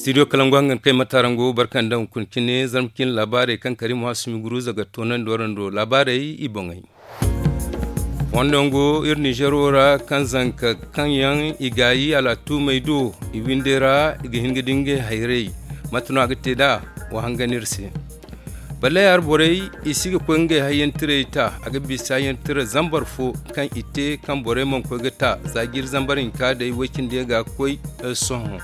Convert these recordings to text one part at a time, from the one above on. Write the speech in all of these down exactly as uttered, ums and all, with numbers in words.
Studio kalangu hangan kay matarango barkan da hunkuna cine zarma cine laabaarey kaŋ kari muhasumi guruza ga toonandi warando laabaarey i boŋey. Fondo yaŋ go iri nizeero ra kaŋ zanka kaŋ yaŋ i gaayi al'atumey do i windey ra i ga hin ga di ngey hayrey. Mate no a ga te nd'a? Wa hangan iri se. Balle arborey i si ga koy ngey hayyantirey ta a ga bisa hayyantirey zambar fo kaŋ i te kaŋ borey mana koy ga ta za jiiri zambar hinka day woy cindi yaŋ ga koy. Sohõ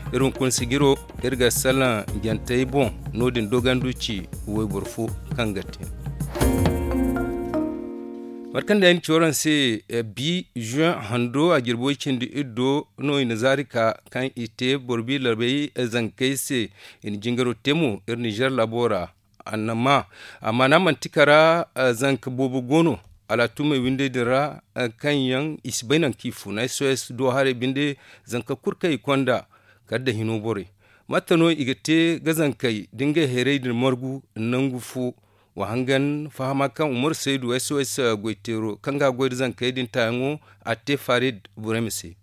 iri hunkuna sijiro iri ga salaŋ jantey boŋ. No- din dogandu ci wayboro fo kaŋ ga te. Mate kaŋ day ay na ci waraŋ se, bi juin hando a jirbi way cindi iri do no i na zaari ka kaŋ i te boro bi larbey zankey se. I na jingaro te mo iri nizer laabo ra. Annama amma no a manti kara zanka boobo go no al'atumey windey din ra kaŋ yaŋ i si bay nangu kaŋ i funa s o s do haray binde. Zanka kulu kaŋ i konda kala nda hino borey mate no i ga te ga zankey da ngey hayrey din margu nangu fo. Wa hangan fahama kaŋ umaru saydu s o s goyteero kaŋ ga a goy nda zankey din taayaŋo a te farid burayma se.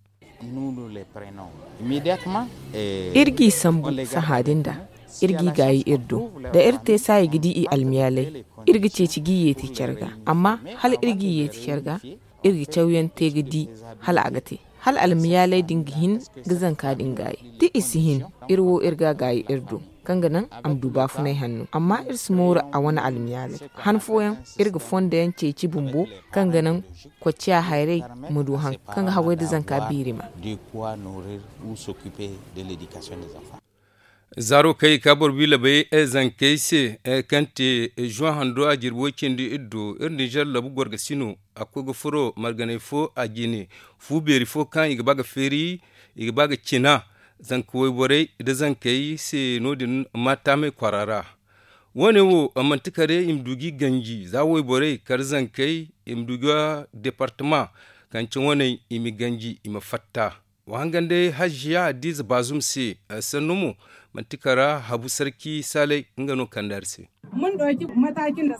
Iri g'i sambu sahã din da iri g'i gaayi iri do da iri te saayi ga di i almiyaalay. Iri ga ceeci g'i yeeti care ga amma hala iri g'i yeeti care ga iri ga cawyaŋ te ga di hala a ga te hala almiyaalay din ga hin ga zanka din gaayi. Da i si hin iri wo iri ga a gaayi iri do kaŋ ga naŋ a ma du baafunay hanno amma iri si mooru a wane almiyaalay. Han fooyaŋ iri ga fondo yaŋ ceeci bumbo kaŋ ga naŋ kocciya hayray ma du haŋ kaŋ ga haggoy nda zanka biirima. Zaaro kaŋ i ga ka boro bi labay zankey se kaŋ te juwan hando a jirbi way cindi iri do iri ninzeer labu gorgasino a koy ga furo marganay fo a jine fu beeri fo kaŋ i ga ba ga feeri i ga ba ga cina zanka wayborey nda zankey se no- din maataamey kwaara ra. Wo- ne wo manti kare i ma du ga i ganji za wayborey kala zankey i ma du ga deepartama kaŋ ci waney i ma ganji i ma fatta. Wa hangan day haziya hadiiza baazum se sannu mo manti kara habu sarki saalay nga no kande hari se.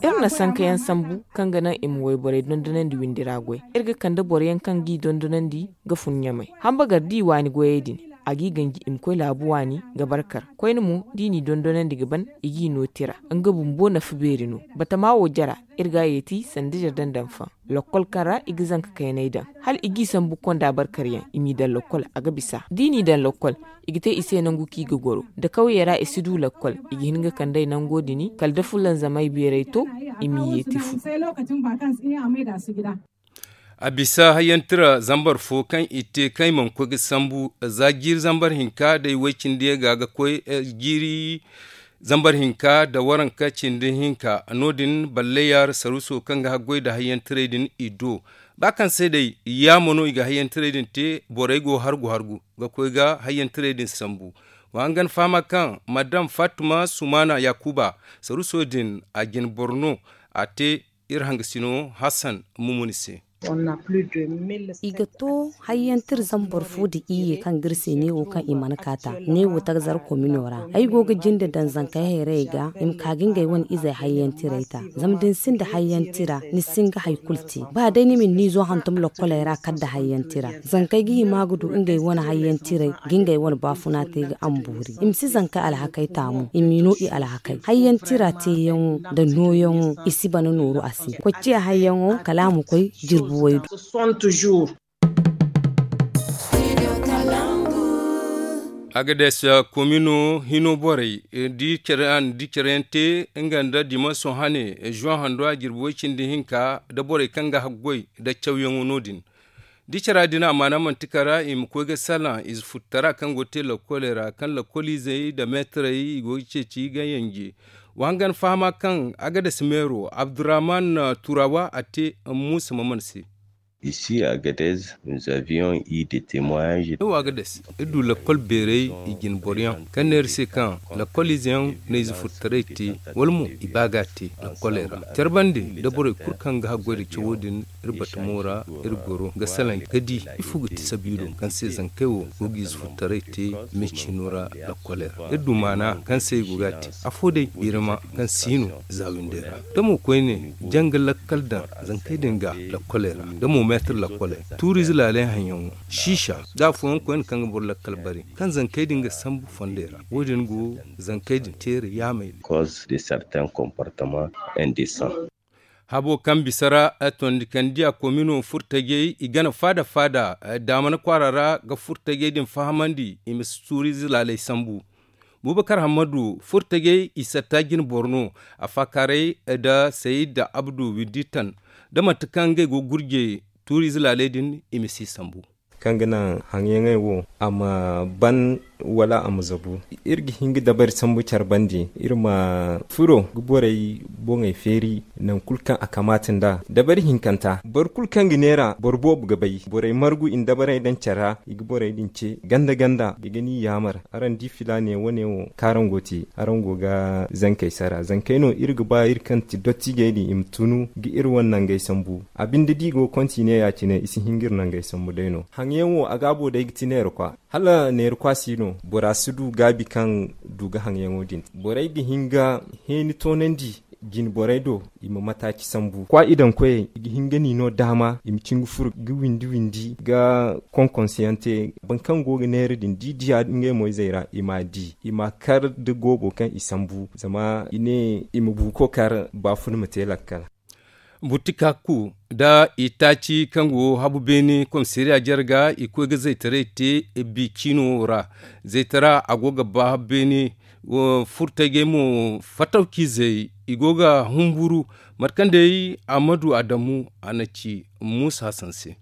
Iri na sanka yaŋ sambu kaŋ ga naŋ i ma wayborey dondonandi windi ra goy. Iri ga kande boro yaŋ kaŋ g'i dondonandi ga fun ɲamay hamba gar da i waani goyey din a g'i ganji i ma koy laabu waani ga barkar koyne mo da i n'i dondonandi ga ban i g'i no tira. Nga bumbo nafa beeri no batama wo jara iri ga a yeeti sanda jardandanfaŋ. Lakkol kaŋ ra i ga zanka kaynay daŋ hala i g'i sambu konda barkaryaŋ i m'i daŋ lakkol a ga bisa da i n'i daŋ lakkol i ga te i se nangu kaŋ i ga goro da kawyey ra i si du lakkol. I ga hin ga kand'ey nango din kala da fulanzamay beerey to i m'i yeeti fu. A bisa hayyantira zambar fo kaŋ i te kaŋ i mana koy ga sambu za jiiri zambar hinka day way cindi yaŋ ga ga koy jiiri zambar hinka nda waranka cindi hinka no- din balle yaara saruuso kaŋ ga haggoy nda hayyantiray din i do. Ba kaŋ se day yaamo no i ga hayyantiray din te borey go hargu hargu ga koy ga hayyantiray din sambu. Wa hangan fahama kaŋ madam faatuma sumaana yaakuba saruuso din a jine boro no a te iri hangasino hassan mumuni se. I ga to hayyantir zambar fo nda iyye kaŋ ga iri se neewo kaŋ i mana kaata neewo tagzar komino ra ay go ga jinde daŋ zankey hayrayey ga i ma ka ga ngey wane izey hayyantiray ta. Zama da ni sinda hayyantira ni si hin ga hari kulu te ba day ni ma ni niizo hantum lokkoley ra kala nda hayyantira zankey ga hima ga du ngey wane hayyantiray ga ngey wane baafuna te ga ambuuri i ma si zankey alhakey taamu i m'i no i alhakey hayyantira teeyaŋo nda nooyaŋo i si bana nooru a se. Kocciya hayyaŋo kala a ma koy jirbi waydu. Agades komino hino borey da i care yaŋ te nga nda dimanso hane zuwan hando a jirbi way cindi hinka nda borey kaŋ ga haggoy nda cawyaŋo no- din. Da i cara din a maana manti kara i ma koy ga salaŋ ize futtara kaŋ go ga te lakkoley ra kaŋ lakkoliizey nda meetarey i go ga ceeci ga yanje. Wa hangan fahama kaŋ agades meero abdurrahman turawa a te muusa maman se. Isi agades nous avions eu des temoignages. Iri du lakkol beerey i jine boroyaŋ kaŋ ne iri se kaŋ lakkol izeyaŋ na ize furtaray te wala mo i ba ga a te lakkoley ra care bande nda borey kulu kaŋ ga haggoy nda cawo din. Iri batamo ra iri goro ga salaŋ ga di ifo ga ti sabiilo kaŋ se zankey wo go ga ize furtaray te meecino ra lakkoley ra iri du maana kaŋ se i go ga a te afo day birama kaŋ si no za windey ra da mo koyne janga lakkal daŋ zankey din ga lakkoley ra da mo Meetir lakkoley tuuriize laaley haŋyaŋo, siisa, da afooyaŋ koyne kaŋ ga boro lakkal bare, kaŋ zankey din ga sambu fondey ra. Wo- din go zankey din teeri yaamey din. Habo kaŋ bisa ra, tondikandi a komino furtajey i gana faada faada, daamana kwaara ra ga furtajey din fahamandi i ma si tuuriize laaley sambu. Bubakar hammadu furtajey i satta jine boro no, a faakaaray nda sayid abdu widitan, da mate kaŋ ngey go gurjey tuuriize laaley din i ma si sambu. Kaŋ ga naŋ haŋyaŋey wo a ma ban wala a ma zabu. Iri ga hin ga dabari sambu care bande, iri ma furo ga borey boŋey feeri nangu kulu kaŋ a kamaata nd'a. Dabari hinkanta boro kulu kaŋ ga neera boro boobo ga bay borey margu i na dabarey daŋ care ra, i ga borey din ce ganda ganda i ga ni yaamar. Araŋ di filaane wane wo kaŋ araŋ go ga te, araŋ go ga zankey sara zankey no iri ga ba iri kaŋ ti dottiijey din i ma tunu ga iri wane nangey sambu. A binde da i go ga kontiine ya- cine i si hin ga iri nangey sambu day no. Haŋyaŋ wo a gaabo day ga ti neera kwa, hala neera kwa si no bora si du gaabi kaŋ du ga haŋyaŋo din. Borey ga hin ga heeni toonandi jine borey do, i ma mataaci sambu kwa i daŋ koyey i ga hin ga ni no daama i ma cin ga furo ga windi windi ga konkonsiyaŋ te. Boro kaŋ go ga neera din da i diya ngey moyzey ra i m'a di i m'a kar nda goobo kaŋ i sambu zama i ne i ma buuko kar baafuna ma te lakkal. Butikakku nda itaaci kaŋ go habu beene komisariya jarga i koy ga zaytaray te. Bi ciino ra zaytara a go ga ba habu beene. Furtajey mo fatawciizey i go ga humburu. Mate kaŋ day amadu adamu a na ci muusa hasan se.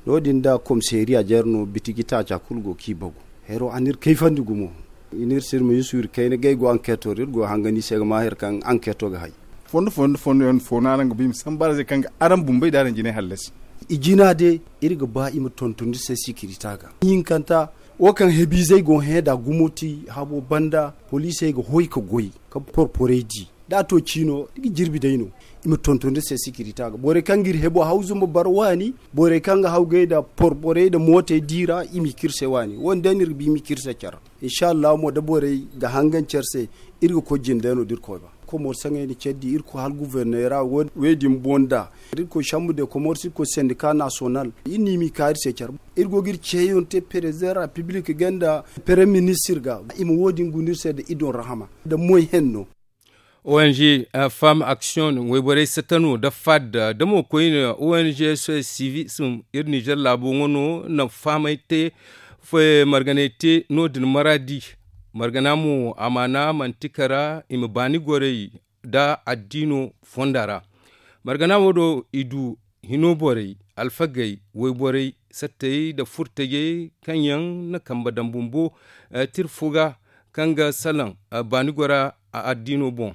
No- din da komisariya jare no bitiji taaca kulu go kaŋ i bagu. Hero a n'iri kayfandi gumo. I n'iri sirma yusu iri kayna ga ay go ankeeto ra iri go ga hangan i se ga ma hari kaŋ ankeeto ga hay. Fondo fondo fondo yaŋ fo no araŋ ga ba i ma sambu araŋ se kaŋ ga araŋ bumbey da araŋ jinay hallasi. I jina day iri ga ba i ma tonton iri se sikirita ga hinkanta. Wo kaŋ hebiizey go ga hẽ nd'a gumo ti habo banda poliisey ga hoy ga goy ga porporey di. Da a to ciino iri ga jirbi day no. I ma tonton iri se sikirita ga borey kaŋ ga iri hebo haw zumba bara waani. Borey kaŋ ga haw gay nda porporey nda mootey di ra i m'i kaŋ iri se waani wo- din day no iri ga ba i m'i kaŋ iri se care ra. Insa allahu mo da borey ga hangan care se iri ga koy jinde no da iri koy ba. Komor saŋey na care di iri koy hala guforneera wo- din boŋ nda iri koy sambu de komor se iri koy sendika nasonal. Iri no i m'i ka iri se care. Iri go ga iri ceeyaŋ te perezidaŋ ra piblik ga nda perem ministir ga i ma wo- din guna iri se nda idon rahama nda moy henno. Ong femme action wayborey satano da fadda da mo koyne ong sivism iri nizer laabo ŋo no na fahamay te. Marganay te no- din maraadi. Margana mo amaana manti kara i ma baani goray da addiino fonda ra. Margana wo do i du hino borey alfagey wayborey sattey nda furtajey kaŋ yaŋ na kambe daŋ bumbo tira fo ga kaŋ ga salaŋ baani gora addiino boŋ.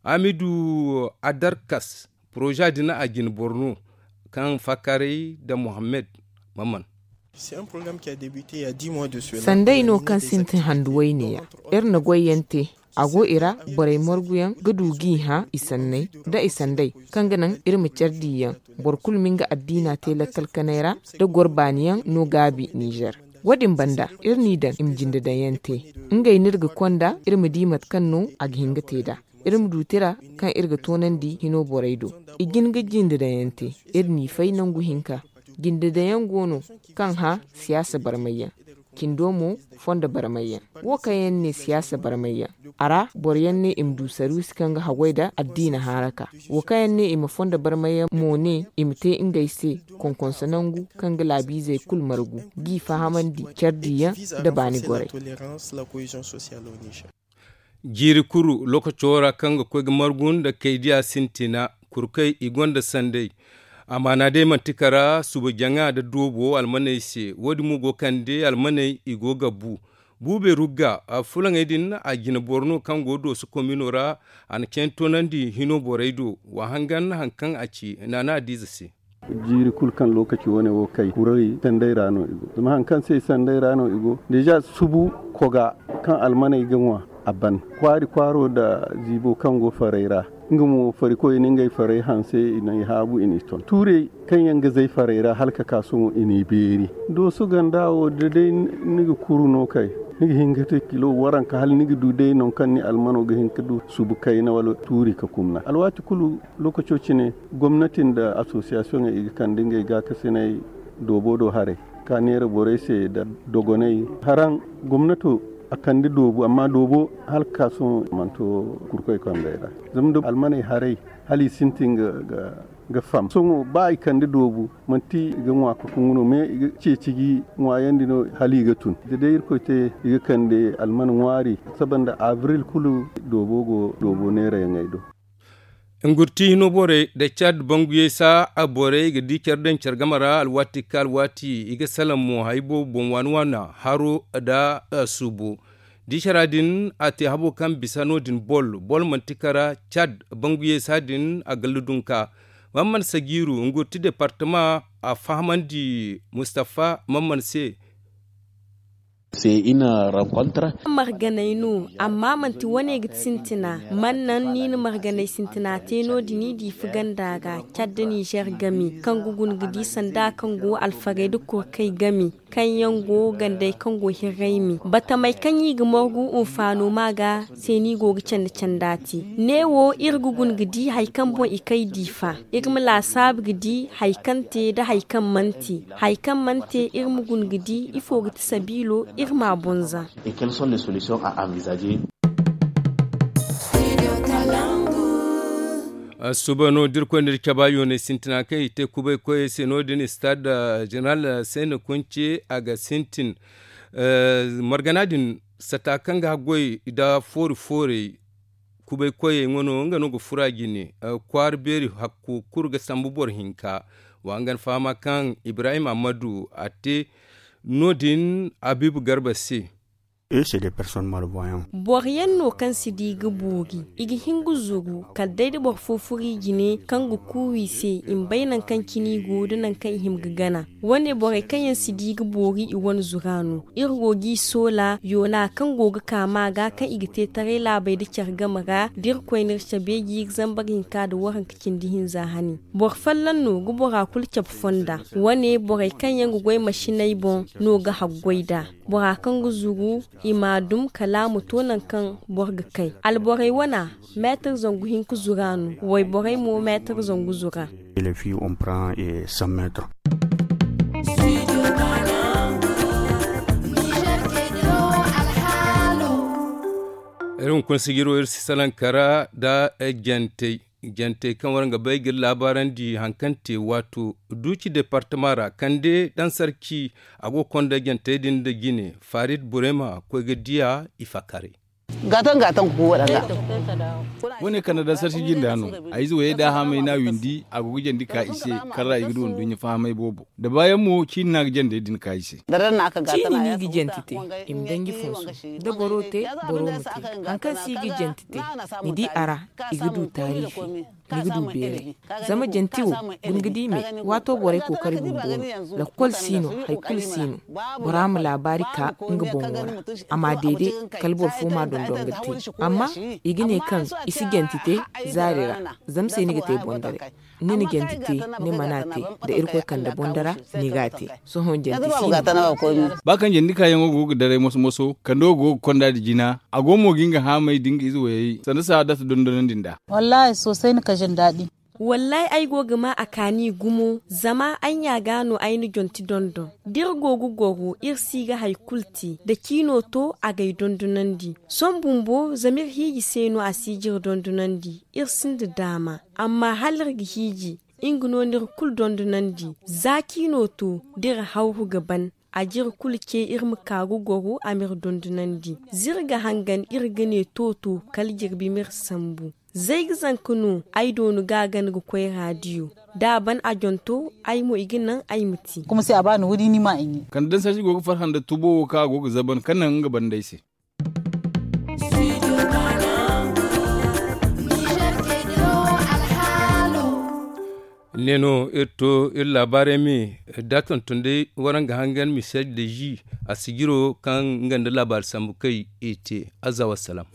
Hamidu adarkas poroza din a jine boro no kaŋ faakaaray nda mohammed. Mamman. Sanday no kaŋ sintin handu wayne yaŋ iri na goy yaŋ te. A go i ra borey margu yaŋ ga du g'i hã i sanney nda i sanday kaŋ ga naŋ iri ma care di yaŋ. Boro kulu ma nga addiina te lakkal kanay ra da goro baani yaŋ no gaabi nizer. Wo- din banda iri n'i daŋ i ma jinde daŋ yaŋ te. Ngey no iri ga konda iri ma di mate kaŋ no a ga hin ga te nd'a. Iri ma du tira kaŋ iri ga toonandi hino borey do. I jin ga jinde daŋ yaŋ te. Iri n'i fay nangu hinka. Jinde daŋ yaŋ go no kaŋ hã siyaasa barmay yaŋ. Cindo mo fondo barmay yaŋ. Wo kaŋ yaŋ ne siyaasa barmay yaŋ a ra boro yaŋ ne i ma du saruusi kaŋ ga haggoy nda addiina haaraka. Wo kaŋ yaŋ ne i ma fondo barmay yaŋ mo ne i ma te ngey se konkonso nangu kaŋ ga laabiizey kulu margu g'i fahamandi care di yaŋ nda baani gorey. Jiiri kuru lookaco ra kaŋ ga koy ga margu nda kaydiya sintina kurkey i gonda sanday. Amaana day manti kara suba jaŋa nda doobo almaney se wo- din mo go kande almaney i go ga bu. Buubey rugga fulaŋey din a jine boro no kaŋ go dooso komino ra. A na cene toonandi hino borey do wa hangan hari kaŋ a ci naana adiize se. Jiiri kulu kaŋ lookaci wane wo kay kuray sanday ra no i go zama hari kaŋ se sanday ra no i go deeza subu koga kaŋ almaney ga ŋwa a ban kwaari kwaaro nda ziibo kaŋ go farey ra. Nga mo farikoy na ngey farey hanse i na i haabu i n'i ton tuurey kaŋ yaŋ ga zay farey ra hala ka ka sohõ i n'i beeri. Dooso ganda wo da day ni ga kuru no kay. Ni ga hin ga te kilo waranka hala ni ga du day nangu kaŋ ni almano ga hin ga du subu kayna wala tuuri ga kumna alwaati kulu. Lookaco cine gomnati nda asosiyasiyoŋey i ga kande ngey gaakasiney doobo do haray ka neera borey se nda dogoney. Haraŋ gomnato a kande doobu amma doobo hala ga ka sohõ a mana to kurkoy kambey ra. Zama da almaney haray hala i sintin ga fam sohõ ba i kande doobu manti i ga ŋwa ka kungu no mais i ga ceeci ga i ŋwaayandi no hala i ga tun da day irkoy te i ga kande alman ŋwaari saba nda abril kulu doobo go doobo neerayaŋey do. Ngurti hino borey nda cad banguyey saa borey ga di care daŋ care game ra alwaati ka alwaati i ga salaŋ mo hari boobo boŋ waani waana haro nda suubo. Da i cara din a te habo kaŋ bisa no- din bol bol manti kara cad banguyey saa din a galla dunka. Mamman sagiiru ngurti departama a fahamandi mustafa mamman se. Marganay no amma manti wane ga ti sintina. Man naŋ ni na marganay sintina te no- din i di fuganda ga cadda nizer game kaŋ ga guna ga di sanda kaŋ go alfarey nda kurkey game kaŋ yaŋ go gandey kaŋ go hirraymi batamey kaŋ i ga margu hunfaano ma ga se no i go ga candi canda te. Neewo iri ga guna ga di hari kaŋ boŋ i kay diifa iri ma laasaabu ga di hari kaŋ te nda hari kaŋ mana te. Hari kaŋ mana te iri ma guna ga di ifo ga ti sabiilo iri m'a boŋ za. Suuba no da iri koy nda iri caba yooney sintina kaŋ i te kubay koyey se no- din stade jeneral sene kunce a ga sintin. Margana din sata kaŋ ga haggoy nda foori foorey kubay koyey wano nga no ga fura jine. Kwaara beeri hakku kulu ga sambu boro hinka. Wa nga na fahama kaŋ ibrahim ammadu a te no- din habiibu garba se. Boro yaŋ no kaŋ si di ga boori i ga hin ga zuru kala day da boro fo furo i jine kaŋ ga kuuwa i se i ma bay nangu kaŋ cine i go da nangu kaŋ i hima ga gana. Wane borey kaŋ yaŋ si di ga boori i wane zura no iri go g'i soola yoona kaŋ go ga ka ma ga kaŋ i ga te taray laabey nda care game ra da iri koy no iri cabe g'i ga zambar hinka nda waranka cindi hinza hane. Boro folloŋ no ga bora kulu cabe fonda. Wane borey kaŋ yaŋ ga goy masiney boŋ no ga haggoy nd'a. Bora kaŋ ga zuru i m'a dum kala a ma to nangu kaŋ boro ga kay alborey wana meetar zangu hinka zura no wayborey mo meetar zangu zura. Iri hunkuna sijiro iri si salaŋ kara nda jantey. Jantey kaŋ waraŋ ga bay ga iri laabaarandi hari kaŋ te waato duuci departama ra kande daŋ sarci. A go ga konda jantey din nda jine farid burema koy ga diya i fakkaray. Gaataŋ gaataŋ ga ku waɗanda. Wane kande daŋ sarci jinda no a ize wayey da a haamay no a windi a go ga jandi ka i se. Kaŋ ra i ga du nduɲɲa fahamay boobo da baayaŋ mo ciini no a ga jandey din ka i se. Ciini no i ga janti te i ma danji fonso da boro te boro ma te. Hari kaŋ se i ga janti te ni di a ra i ga du taariifi. Ni ga du beeray zama janti wo guna ga di me waato borey kookari bumbo no. Lakkol si no hari kulu si no. Bora ma laabaari ka nga boŋo ra a ma deede kala boro fo ma dondon ga te. Amma i ga ne kaŋ i si janti te zaari ra. Zama se ni ga te bondaray ni na janti te ni mana te da irkoy kande bondara ni ga a te. Sohõ janti si no. Ba kaŋ jandi kaayaŋo go ga daray moso moso kando go ga konda nda jina a go mo ga nga haamay da nga ize wayey sanda saadata dondonandi nd'a. Wallaahi soosay ni ka jin daɗi. Wallaahi ay go ga ma a kaani gumo zama ay ɲa ga no ay na jonti dondon. Da iri go ga goro iri si ga hari kulu te da ciino to a g'ay dondonandi. Sohõ bumbo zama iri hiiji se no a si jire dondonandi. Iri sinda daama amma hala iri ga hiiji nga no no iri kulu dondonandi. Za ciino to da iri hawru ga ban a jire kulu ce iri ma ka ga goro a m'iri dondonandi. Za iri ga hangan iri ga ne to to kala jirbi m'iri sambu. Zay ga zanka no ay doonu ga a gana ga koy raadiyo da a ban a jonto ay mo i ga naŋ ay ma te. Kande daŋ sarci go ga farhã nda tubo wo kaŋ a go ga zaban ka naŋ nga banda ay se. Ne no iri to iri laabaarey me da tonton day waraŋ ga hangan misel de zi a sijiro kaŋ nga nda laabaari sambu kay i te. Azza wassalam.